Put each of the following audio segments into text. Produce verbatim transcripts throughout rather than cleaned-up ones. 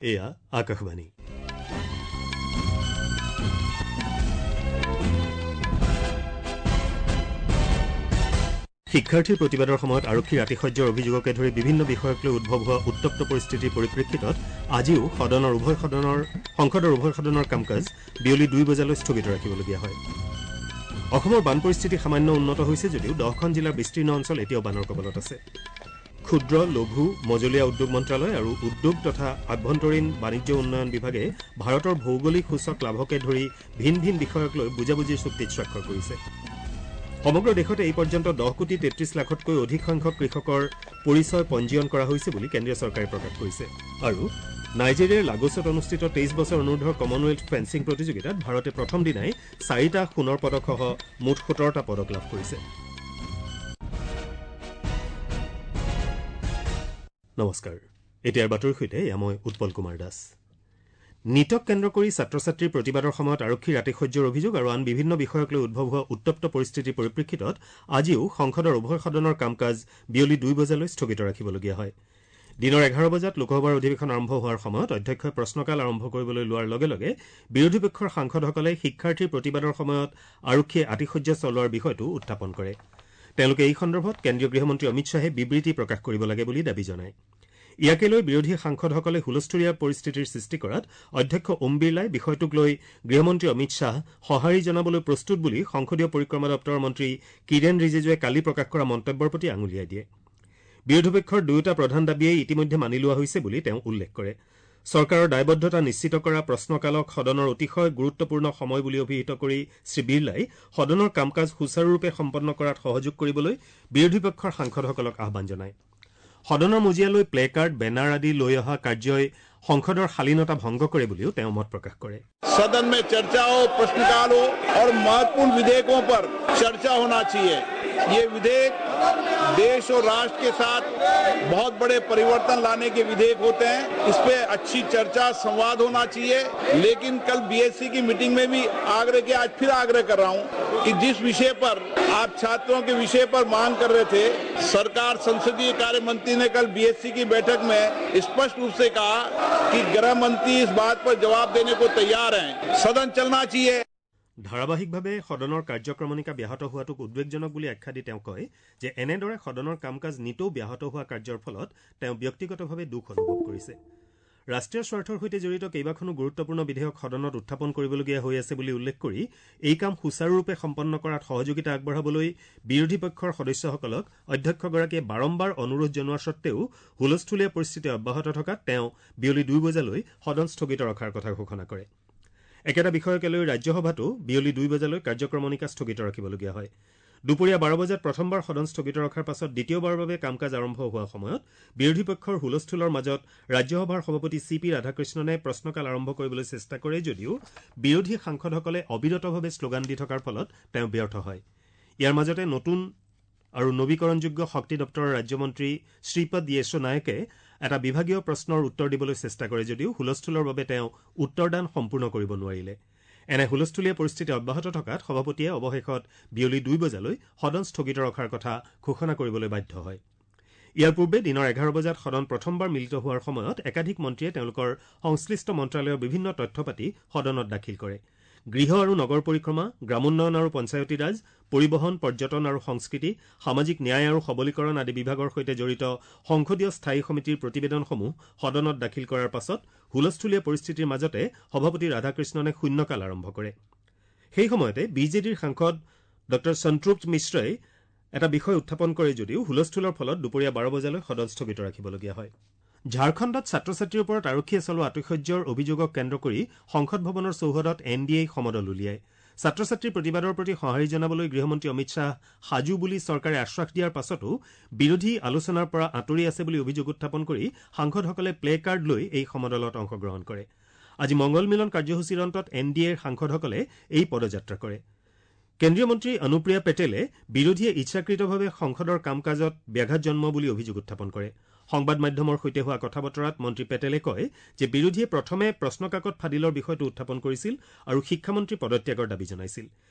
এয়া আকাশবাণী। শিক্ষাৰ্থীৰ প্ৰতিবাদৰ সময়ত আৰক্ষীৰ আতিশয্যৰ অভিযোগকে ধৰি বিভিন্ন বিষয়ক লৈ উদ্ভৱ হোৱা উত্তপ্ত পৰিস্থিতিৰ পৰিপ্ৰেক্ষিতত আজিও সদনৰ উভয় সদনৰ সংসদৰ উভয় সদনৰ কাম কাজ বিয়লি দুই বজালৈ স্থগিত ৰাখিবলগীয়া হয়। অসমৰ বান পৰিস্থিতি সামান্য উন্নত হৈছে যদিও দহখন জিলাৰ বিস্তীৰ্ণ অঞ্চল এতিয়াও বানৰ কবলত আছে। ক্ষুদ্ৰ, লঘু, মজলীয়া উদ্যোগ মন্ত্ৰালয় আৰু উদ্যোগ তথা আভ্যন্তৰীণ বাণিজ্য উন্নয়ন বিভাগে ভাৰতৰ ভৌগোলিক সূচক লাভকে ধৰি ভিন ভিন বিষয়ক লৈ বুজাবুজিৰ চুক্তিত স্বাক্ষৰ কৰিছে। সমগ্ৰ দেশতে এই পৰ্যন্ত দহ কোটি তেত্ৰিশ লাখতকৈ অধিক সংখ্যক কৃষকৰ পৰিচয় পঞ্জীয়ন কৰা হৈছে বুলি কেন্দ্ৰীয় চৰকাৰে প্ৰকাশ কৰিছে। আৰু নাইজেৰিয়াৰ লাগোছত অনুষ্ঠিত তেইছ বছৰ অনুৰ্ধৰ কমনৱেলথ ফেন্সিং প্ৰতিযোগিতাত ভাৰতে প্ৰথম দিনাই চাৰিটা সোণৰ পদকসহ মুঠ সোতৰটা পদক লাভ কৰিছে। নমস্কাৰ, এতিয়াৰ বাতৰিৰ সৈতে এয়া মই উৎপল কুমাৰ দাস। নীটক কেন্দ্ৰ কৰি ছাত্ৰ ছাত্ৰীৰ প্ৰতিবাদৰ সময়ত আৰক্ষীৰ আতিশয্যৰ অভিযোগ আৰু আন বিভিন্ন বিষয়ক লৈ উদ্ভৱ হোৱা উত্তপ্ত পৰিস্থিতিৰ পৰিপ্ৰেক্ষিতত আজিও সংসদৰ উভয় সদনৰ কাম কাজ বিয়লি দুই বজালৈ স্থগিত ৰাখিবলগীয়া হয়। দিনৰ এঘাৰ বজাত লোকসভাৰ অধিৱেশন আৰম্ভ হোৱাৰ সময়ত অধ্যক্ষই প্ৰশ্নকাল আৰম্ভ কৰিবলৈ লোৱাৰ লগে লগে বিৰোধী পক্ষৰ সাংসদসকলে শিক্ষাৰ্থীৰ প্ৰতিবাদৰ সময়ত আৰক্ষীয়ে আতিশয্য চলোৱাৰ বিষয়টো উত্থাপন কৰে। তেওঁলোকে এই সন্দৰ্ভত কেন্দ্ৰীয় গৃহমন্ত্ৰী অমিত শ্বাহে বিবৃতি প্ৰকাশ কৰিব লাগে বুলি দাবী জনায়। ইয়াকে লৈ বিৰোধী সাংসদসকলে হুলস্থুলীয়া পৰিস্থিতিৰ সৃষ্টি কৰাত অধ্যক্ষ ওম বিৰলাই বিষয়টোক লৈ গৃহমন্ত্ৰী অমিত শ্বাহ সঁহাৰি জনাবলৈ প্ৰস্তুত বুলি সংসদীয় পৰিক্ৰমা দপ্তৰৰ মন্ত্ৰী কিৰেণ ৰিজিজুৱে কালি প্ৰকাশ কৰা মন্তব্যৰ প্ৰতি আঙুলিয়াই দিয়ে। বিৰোধী পক্ষৰ দুয়োটা প্ৰধান দাবীয়েই ইতিমধ্যে মানি লোৱা হৈছে বুলি তেওঁ উল্লেখ কৰে। চৰকাৰৰ দায়বদ্ধতা নিশ্চিত কৰা প্ৰশ্নকালক সদনৰ অতিশয় গুৰুত্বপূৰ্ণ সময় বুলি অভিহিত কৰি শ্ৰীবিৰলাই সদনৰ কাম কাজ সুচাৰুৰূপে সম্পন্ন কৰাত সহযোগ কৰিবলৈ বিৰোধী পক্ষৰ সাংসদসকলক আহ্বান জনায়। সদনৰ মজিয়ালৈ প্লেকাৰ্ড, বেনাৰ আদি লৈ অহা কাৰ্যই সংসদৰ শালীনতা ভংগ কৰে বুলিও তেওঁ মত প্ৰকাশ কৰে। सदन में चर्चा हो, प्रश्नकाल हो और महत्वपूर्ण विधेयकों पर चर्चा होना चाहिए। ये विधेयक देश और राष्ट्र के साथ बहुत बड़े परिवर्तन लाने के विधेयक होते हैं। इस पे अच्छी चर्चा, संवाद होना चाहिए। लेकिन कल बीएससी की मीटिंग में भी आग्रह किया, आज फिर आग्रह कर रहा हूँ कि जिस विषय पर आप छात्रों के विषय पर मांग कर रहे थे, सरकार संसदीय कार्य मंत्री ने कल बीएससी की बैठक में स्पष्ट रूप से कहा कि गृह मंत्री इस बात पर जवाब देने को तैयार हैं। सदन चलना चाहिए। ধাৰাবাহিকভাৱে সদনৰ কাৰ্যক্ৰমণিকা ব্যাহত হোৱাটোক উদ্বেগজনক বুলি আখ্যা দি তেওঁ কয় যে এনেদৰে সদনৰ কাম কাজ নিতৌ ব্যাহত হোৱা কাৰ্যৰ ফলত তেওঁ ব্যক্তিগতভাৱে দুখ অনুভৱ কৰিছে। ৰাষ্ট্ৰীয় স্বাৰ্থৰ সৈতে জড়িত কেইবাখনো গুৰুত্বপূৰ্ণ বিধেয়ক সদনত উত্থাপন কৰিবলগীয়া হৈ আছে বুলি উল্লেখ কৰি এই কাম সুচাৰুৰূপে সম্পন্ন কৰাত সহযোগিতা আগবঢ়াবলৈ বিৰোধী পক্ষৰ সদস্যসকলক অধ্যক্ষগৰাকীয়ে বাৰম্বাৰ অনুৰোধ জনোৱা সত্ত্বেও হুলস্থুলীয়া পৰিস্থিতি অব্যাহত থকাত তেওঁ বিয়লি দুই বজালৈ সদন স্থগিত ৰখাৰ কথা ঘোষণা কৰে। একেটা বিষয়কে লৈ ৰাজ্যসভাতো বিয়লি দুই বজালৈ কাৰ্যক্ৰমণিকা স্থগিত ৰাখিবলগীয়া হয়। দুপৰীয়া বাৰ বজাত প্ৰথমবাৰ সদন স্থগিত ৰখাৰ পাছত দ্বিতীয়বাৰৰ বাবে কাম কাজ আৰম্ভ হোৱাৰ সময়ত বিৰোধী পক্ষৰ হুলস্থুলৰ মাজত ৰাজ্যসভাৰ সভাপতি চি পি ৰাধাকৃষ্ণনে প্ৰশ্নকাল আৰম্ভ কৰিবলৈ চেষ্টা কৰে যদিও বিৰোধী সাংসদসকলে অবিৰতভাৱে শ্লোগান দি থকাৰ ফলত তেওঁ ব্যৰ্থ হয়। ইয়াৰ মাজতে নতুন আৰু নবীকৰণযোগ্য শক্তি দপ্তৰৰ ৰাজ্যমন্ত্ৰী শ্ৰীপদ য়েশো নায়কে এটা বিভাগীয় প্ৰশ্নৰ উত্তৰ দিবলৈ চেষ্টা কৰে যদিও হুলস্থুলৰ বাবে তেওঁ উত্তৰদান সম্পূৰ্ণ কৰিব নোৱাৰিলে। এনে হুলস্থুলীয়া পৰিস্থিতি অব্যাহত থকাত সভাপতিয়ে অৱশেষত বিয়লি দুই বজালৈ সদন স্থগিত ৰখাৰ কথা ঘোষণা কৰিবলৈ বাধ্য হয়। ইয়াৰ পূৰ্বে দিনৰ এঘাৰ বজাত সদন প্ৰথমবাৰ মিলিত হোৱাৰ সময়ত একাধিক মন্ত্ৰীয়ে তেওঁলোকৰ সংশ্লিষ্ট মন্ত্ৰালয়ৰ বিভিন্ন তথ্য পাতি সদনত দাখিল কৰে। গৃহ আৰু নগৰ পৰিক্ৰমা, গ্ৰামোন্নয়ন আৰু পঞ্চায়তীৰাজ, পৰিবহণ, পৰ্যটন আৰু সংস্কৃতি, সামাজিক ন্যায় আৰু সবলীকৰণ আদি বিভাগৰ সৈতে জড়িত সংসদীয় স্থায়ী সমিতিৰ প্ৰতিবেদনসমূহ সদনত দাখিল কৰাৰ পাছত হুলস্থুলীয়া পৰিস্থিতিৰ মাজতে সভাপতি ৰাধাকৃষ্ণনে শূন্যকাল আৰম্ভ কৰে। সেই সময়তে বি জে ডিৰ সাংসদ ডঃ সন্ত্ৰুপ্ত মিশ্ৰই এটা বিষয় উত্থাপন কৰে যদিও হুলস্থুলৰ ফলত দুপৰীয়া বাৰ বজালৈ সদন স্থগিত ৰাখিবলগীয়া হয়। ঝাৰখণ্ডত ছাত্ৰ ছাত্ৰীৰ ওপৰত আৰক্ষীয়ে চলোৱা আতিশয্যৰ অভিযোগক কেন্দ্ৰ কৰি সংসদ ভৱনৰ চৌহদত এন ডি এই সমদল উলিয়ায়। ছাত্ৰ ছাত্ৰীৰ প্ৰতিবাদৰ প্ৰতি সঁহাৰি জনাবলৈ গৃহমন্ত্ৰী অমিত শ্বাহ সাজু বুলি চৰকাৰে আশ্বাস দিয়াৰ পাছতো বিৰোধী আলোচনাৰ পৰা আঁতৰি আছে বুলি অভিযোগ উত্থাপন কৰি সাংসদসকলে প্লে কাৰ্ড লৈ এই সমদলত অংশগ্ৰহণ কৰে। আজি মংগল মিলন কাৰ্যসূচীৰ অন্তত এন ডি এৰ সাংসদসকলে এই পদযাত্ৰা কৰে। কেন্দ্ৰীয় মন্ত্ৰী অনুপ্ৰিয়া পেটেলে বিৰোধীয়ে ইচ্ছাকৃতভাৱে সংসদৰ কাম কাজত ব্যাঘাত জন্মোৱা বুলি অভিযোগ উত্থাপন কৰে। সংবাদ মাধ্যমৰ সৈতে হোৱা কথা বতৰাত মন্ত্ৰী পেটেলে কয় যে বিৰোধীয়ে প্ৰথমে প্ৰশ্নকাকত ফাদিলৰ বিষয়টো উত্থাপন কৰিছিল আৰু শিক্ষামন্ত্ৰী পদত্যাগৰ দাবী জনাইছিল।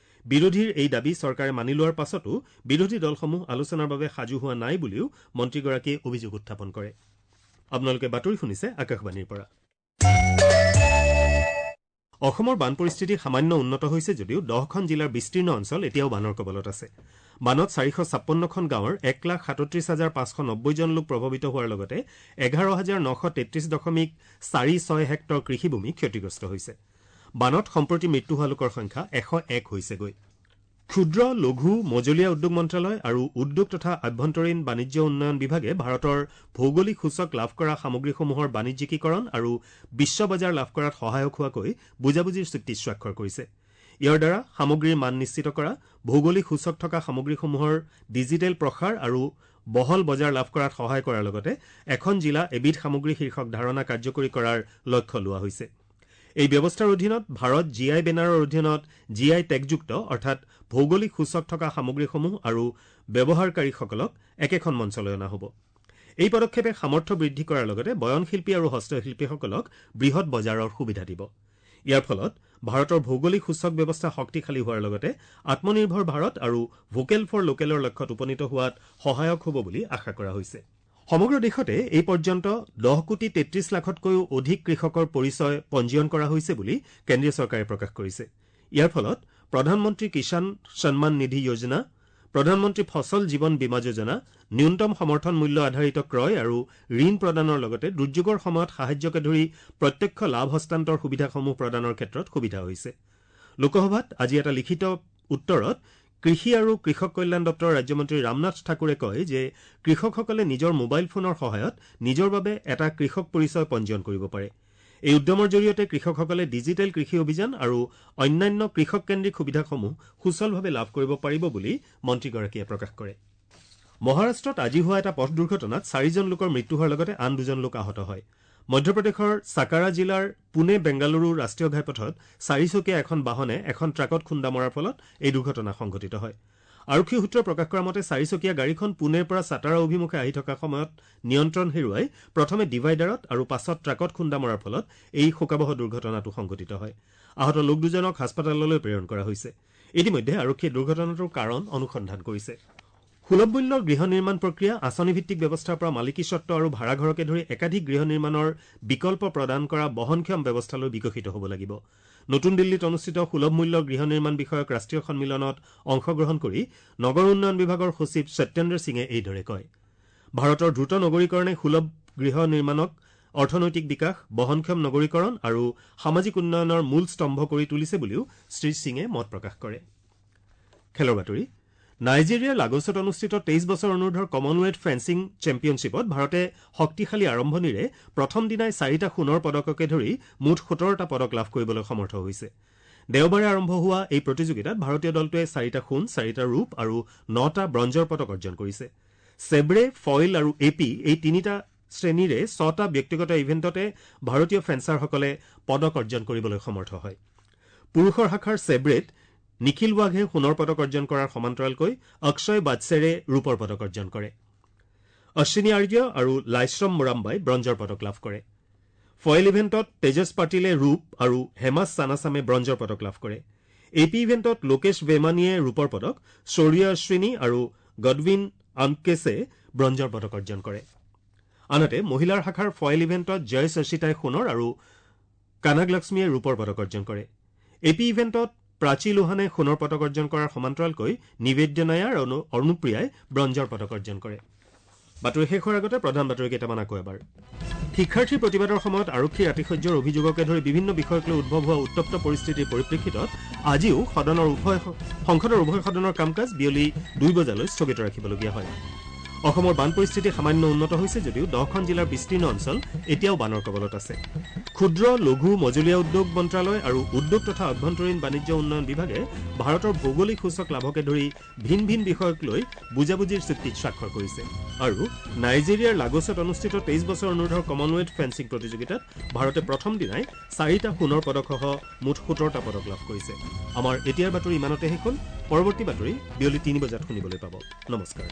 বিৰোধীৰ এই দাবী চৰকাৰে মানি লোৱাৰ পাছতো বিৰোধী দলসমূহ আলোচনাৰ বাবে সাজু হোৱা নাই বুলিও মন্ত্ৰীগৰাকীয়ে অভিযোগ উত্থাপন কৰে। আপোনালোকে বাতৰি শুনিছে আকাশবাণীৰ পৰা। অসমৰ বান পৰিস্থিতি সামান্য উন্নত হৈছে যদিও দহখন জিলাৰ বিস্তীৰ্ণ অঞ্চল এতিয়াও বানৰ কবলত আছে। বানত চাৰিশ ছাপন্নখন গাঁৱৰ এক লাখ সাতত্ৰিশ হাজাৰ পাঁচশ নব্বৈ জন লোক প্ৰভাৱিত হোৱাৰ লগতে এঘাৰ হাজাৰ নশ তেত্ৰিশ দশমিক চাৰি ছয় হেক্টৰ কৃষিভূমি ক্ষতিগ্ৰস্ত হৈছে। বানত সম্প্ৰতি মৃত্যু হোৱা লোকৰ সংখ্যা এশ এক হৈছেগৈ। ক্ষুদ্ৰ লঘু মজলীয়া উদ্যোগ মন্ত্ৰালয় আৰু উদ্যোগ তথা আভ্যন্তৰীণ বাণিজ্য উন্নয়ন বিভাগে ভাৰতৰ ভৌগোলিক সূচক লাভ কৰা সামগ্ৰীসমূহৰ বাণিজ্যিকীকৰণ আৰু বিশ্ব বজাৰ লাভ কৰাত সহায়ক হোৱাকৈ বুজাবুজিৰ চুক্তি স্বাক্ষৰ কৰিছে। ইয়াৰ দ্বাৰা সামগ্ৰীৰ মান নিশ্চিত কৰা, ভৌগোলিক সূচক থকা সামগ্ৰীসমূহৰ ডিজিটেল প্ৰসাৰ আৰু বহল বজাৰ লাভ কৰাত সহায় কৰাৰ লগতে এখন জিলা এবিধ সামগ্ৰী শীৰ্ষক ধাৰণা কাৰ্যকৰী কৰাৰ লক্ষ্য লোৱা হৈছে। এই ব্যৱস্থাৰ অধীনত ভাৰত জি I বেনাৰৰ অধীনত জি I টেগযুক্ত অৰ্থাৎ ভৌগোলিক সূচক থকা সামগ্ৰীসমূহ আৰু ব্যৱহাৰকাৰীসকলক একেখন মঞ্চলৈ অনা হ'ব। এই পদক্ষেপে সামৰ্থ্য বৃদ্ধি কৰাৰ লগতে বয়নশিল্পী আৰু হস্তশিল্পীসকলক বৃহৎ বজাৰৰ সুবিধা দিব। ইয়াৰ ফলত ভাৰতৰ ভৌগোলিক সূচক ব্যৱস্থা শক্তিশালী হোৱাৰ লগতে আত্মনিৰ্ভৰ ভাৰত আৰু ভোকেল ফৰ লোকেলৰ লক্ষ্যত উপনীত হোৱাত সহায়ক হ'ব বুলি আশা কৰা হৈছে। সমগ্ৰ দেশতে এই পৰ্যন্ত দহ কোটি তেত্ৰিশ লাখতকৈও অধিক কৃষকৰ পৰিচয় পঞ্জীয়ন কৰা হৈছে বুলি কেন্দ্ৰীয় চৰকাৰে প্ৰকাশ কৰিছে। ইয়াৰ ফলত প্ৰধানমন্ত্ৰী কিষাণ সন্মান নিধি যোজনা, প্ৰধানমন্ত্ৰী ফচল জীৱন বীমা যোজনা, ন্যূনতম সমৰ্থন মূল্য আধাৰিত ক্ৰয় আৰু ঋণ প্ৰদানৰ লগতে দুৰ্যোগৰ সময়ত সাহায্যকে ধৰি প্ৰত্যক্ষ লাভ হস্তান্তৰ সুবিধাসমূহ প্ৰদানৰ ক্ষেত্ৰত সুবিধা হৈছে। লোকসভাত আজি এটা লিখিত উত্তৰত কৃষি আৰু কৃষক কল্যাণ দপ্তৰৰ ৰাজ্যমন্ত্ৰী ৰামনাথ ঠাকুৰে কয় যে কৃষকসকলে নিজৰ মোবাইল ফোনৰ সহায়ত নিজৰ বাবে এটা কৃষক পৰিচয় পঞ্জীয়ন কৰিব পাৰে। এই উদ্যমৰ জৰিয়তে কৃষকসকলে ডিজিটেল কৃষি অভিযান আৰু অন্যান্য কৃষককেন্দ্ৰিক সুবিধাসমূহ সুচলভাৱে লাভ কৰিব পাৰিব বুলি মন্ত্ৰীগৰাকীয়ে প্ৰকাশ কৰে। মহাৰাষ্ট্ৰত আজি হোৱা এটা পথ দুৰ্ঘটনাত চাৰিজন লোকৰ মৃত্যু হোৱাৰ লগতে আন দুজন লোক আহত হয়। মধ্যপ্ৰদেশৰ চাকাৰা জিলাৰ পুনে বেংগালুৰু ৰাষ্ট্ৰীয় ঘাইপথত চাৰিচকীয়া এখন বাহনে এখন ট্ৰাকত খুন্দা মৰাৰ ফলত এই দুৰ্ঘটনা সংঘটিত হয়। আৰক্ষী সূত্ৰই প্ৰকাশ কৰা মতে চাৰিচকীয়া গাড়ীখন পুনেৰ পৰা চাটাৰা অভিমুখে আহি থকা সময়ত নিয়ন্ত্ৰণ হেৰুৱাই প্ৰথমে ডিভাইডাৰত আৰু পাছত ট্ৰাকত খুন্দা মৰাৰ ফলত এই শোকাৱহ দুৰ্ঘটনাটো সংঘটিত হয়। আহত লোক দুজনক হাস্পতাললৈ প্ৰেৰণ কৰা হৈছে। ইতিমধ্যে আৰক্ষীয়ে দুৰ্ঘটনাটোৰ কাৰণ অনুসন্ধান কৰিছে। সুলভ মূল্যৰ গৃহ নিৰ্মাণ প্ৰক্ৰিয়া, আঁচনিভিত্তিক ব্যৱস্থাৰ পৰা মালিকীস্বত্ব আৰু ভাড়াঘৰকে ধৰি একাধিক গৃহ নিৰ্মাণৰ বিকল্প প্ৰদান কৰা বহনক্ষম ব্যৱস্থালৈ বিকশিত হ'ব লাগিব। নতুন দিল্লীত অনুষ্ঠিত সুলভ মূল্যৰ গৃহ নিৰ্মাণ বিষয়ক ৰাষ্ট্ৰীয় সন্মিলনত অংশগ্ৰহণ কৰি নগৰ উন্নয়ন বিভাগৰ সচিব সত্যেন্দ্ৰ সিঙে এইদৰে কয়। ভাৰতৰ দ্ৰুত নগৰীকৰণে সুলভ গৃহ নিৰ্মাণক অৰ্থনৈতিক বিকাশ, বহনক্ষম নগৰীকৰণ আৰু সামাজিক উন্নয়নৰ মূল স্তম্ভ কৰি তুলিছে বুলিও শ্ৰী সিঙে মত প্ৰকাশ কৰে। খেলৰ বাতৰি। নাইজেৰিয়াৰ লাগোছত অনুষ্ঠিত তেইছ বছৰ অনুৰ্ধৰ কমনৱেলথ ফেন্সিং চেম্পিয়নশ্বিপত ভাৰতে শক্তিশালী আৰম্ভণিৰে প্ৰথম দিনাই চাৰিটা সোণৰ পদককে ধৰি মুঠ সোতৰটা পদক লাভ কৰিবলৈ সমৰ্থ হৈছে। দেওবাৰে আৰম্ভ হোৱা এই প্ৰতিযোগিতাত ভাৰতীয় দলটোৱে চাৰিটা সোণ, চাৰিটা ৰূপ আৰু নটা ব্ৰঞ্জৰ পদক অৰ্জন কৰিছে। চেব্ৰে, ফইল আৰু এ পি এই তিনিটা শ্ৰেণীৰে ছটা ব্যক্তিগত ইভেণ্টতে ভাৰতীয় ফেন্সাৰসকলে পদক অৰ্জন কৰিবলৈ সমৰ্থ হয়। পুৰুষৰ শাখাৰ চেব্ৰেত নিখিল ৱাঘে সোণৰ পদক অৰ্জন কৰাৰ সমান্তৰালকৈ অক্ষয় বাদছেৰে ৰূপৰ পদক অৰ্জন কৰে। অশ্বিনী আৰ্য আৰু লাইশ্ৰম মোৰাম্বাই ব্ৰঞ্জৰ পদক লাভ কৰে। ফইল ইভেণ্টত তেজস পাটিলে ৰূপ আৰু হেমাছ চানাচামে ব্ৰঞ্জৰ পদক লাভ কৰে। এ পি ইভেণ্টত লোকেশ বেমানীয়ে ৰূপৰ পদক, শৌৰ্য অশ্বিনী আৰু গডউইন আমকেছে ব্ৰঞ্জৰ পদক অৰ্জন কৰে। আনহাতে মহিলাৰ শাখাৰ ফইল ইভেণ্টত জয় শশিতাই সোণৰ আৰু কানাগ লক্ষ্মীয়ে ৰূপৰ পদক অৰ্জন কৰে। এ পি ইভেণ্টত প্ৰাচী লোহানে সোণৰ পদক অৰ্জন কৰাৰ সমান্তৰালকৈ নিবেদ্য নায়াৰ আৰু অনুপ্ৰিয়াই ব্ৰঞ্জৰ পদক অৰ্জন কৰে। বাতৰি শেষ হোৱাৰ আগতে প্ৰধান বাতৰি কেইটামান আকৌ এবাৰ। শিক্ষাৰ্থীৰ প্ৰতিবাদৰ সময়ত আৰক্ষীৰ আতিশয্যৰ অভিযোগকে ধৰি বিভিন্ন বিষয়ক লৈ উদ্ভৱ হোৱা উত্তপ্ত পৰিস্থিতিৰ পৰিপ্ৰেক্ষিতত আজিও সদনৰ উভয় সংসদৰ উভয় সদনৰ কাম কাজ বিয়লি দুই বজালৈ স্থগিত ৰাখিবলগীয়া হয়। অসমৰ বান পৰিস্থিতি সামান্য উন্নত হৈছে যদিও দহখন জিলাৰ বিস্তীৰ্ণ অঞ্চল এতিয়াও বানৰ কবলত আছে। ক্ষুদ্ৰ লঘু মজলীয়া উদ্যোগ মন্ত্ৰালয় আৰু উদ্যোগ তথা আভ্যন্তৰীণ বাণিজ্য উন্নয়ন বিভাগে ভাৰতৰ ভৌগোলিক সূচক লাভকে ধৰি ভিন ভিন বিষয়ক লৈ বুজাবুজিৰ চুক্তিত স্বাক্ষৰ কৰিছে। আৰু নাইজেৰিয়াৰ লাগোছত অনুষ্ঠিত তেইছ বছৰ অনুৰ্ধৰ কমনৱেলথ ফেন্সিং প্ৰতিযোগিতাত ভাৰতে প্ৰথম দিনাই চাৰিটা সোণৰ পদকসহ মুঠ সোতৰটা পদক লাভ কৰিছে। আমাৰ এতিয়াৰ বাতৰি ইমানতে শেষ হ'ল। পৰৱৰ্তী বাতৰি বিয়লি তিনি বজাত শুনিবলৈ পাব। নমস্কাৰ।